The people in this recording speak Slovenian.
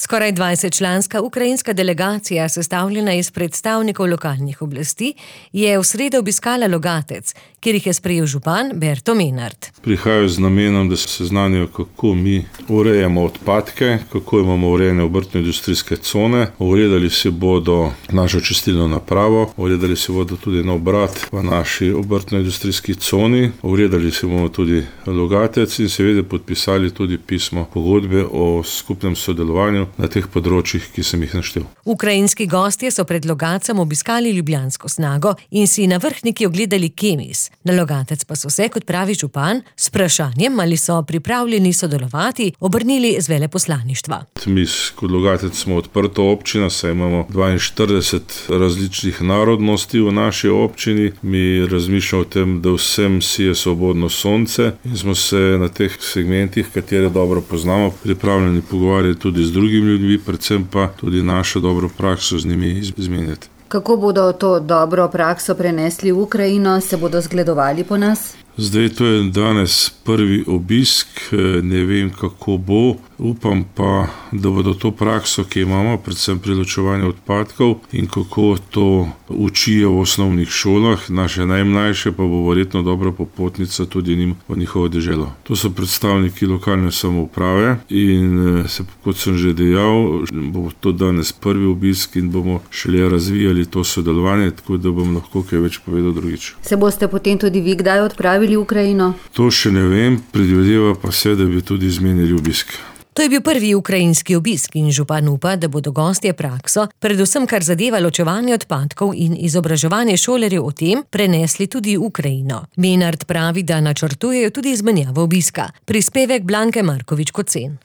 Skoraj 20-članska ukrajinska delegacija, sestavljena iz predstavnikov lokalnih oblasti, je v sredo obiskala Logatec, kjer jih je sprejel župan Berto Menart. Prihajajo z namenom, da se seznanijo, kako mi urejamo odpadke, kako imamo urejene obrtno-industrijske cone. Ogledali si bodo našo čistilno napravo, ogledali si bodo tudi nov obrat v naši obrtno-industrijski coni, ogledali si bomo tudi Logatec in seveda podpisali tudi pismo pogodbe o skupnem sodelovanju na teh področjih, ki sem jih naštel. Ukrajinski gostje so pred Logacem obiskali ljubljansko Snago in si na Vrhniki ogledali Kemis. Na Logatec pa so se, kot pravi župan, s vprašanjem, ali so pripravljeni sodelovati, obrnili z veleposlaništva. Mi kot Logatec smo odprta občina, saj imamo 42 različnih narodnosti v naši občini. Mi razmišljamo o tem, da vsem sije svobodno sonce in smo se na teh segmentih, katere dobro poznamo, pripravljeni pogovarjati tudi z drugimi ljudmi, predvsem pa tudi našo dobro prakso z njimi izmenjati. Kako bodo to dobro prakso prenesli v Ukrajino? Se bodo zgledovali po nas? Zdaj, to je danes prvi obisk, ne vem, kako bo. Upam pa, da bodo to prakso, ki imamo, predvsem pri ločevanju odpadkov in kako to učijo v osnovnih šolah, naše najmlajše pa bo verjetno dobra popotnica tudi njim v njihovo deželo. To so predstavniki lokalne samouprave in kot sem že dejal, bo to danes prvi obisk in bomo šele razvijali to sodelovanje, tako da bom lahko kaj več povedal drugič. Se boste potem tudi vi kdaj odpravili v Ukrajino? To še ne vem, predvideva pa se, da bi tudi izmenili obisk. To je bil prvi ukrajinski obisk in župan upa, da bodo gostje prakso, predvsem kar zadeva ločevanje odpadkov in izobraževanje šolarjev o tem, prenesli tudi v Ukrajino. Menart pravi, da načrtujejo tudi izmenjavo obiska. Prispevek Blanke Markovič-Kocen.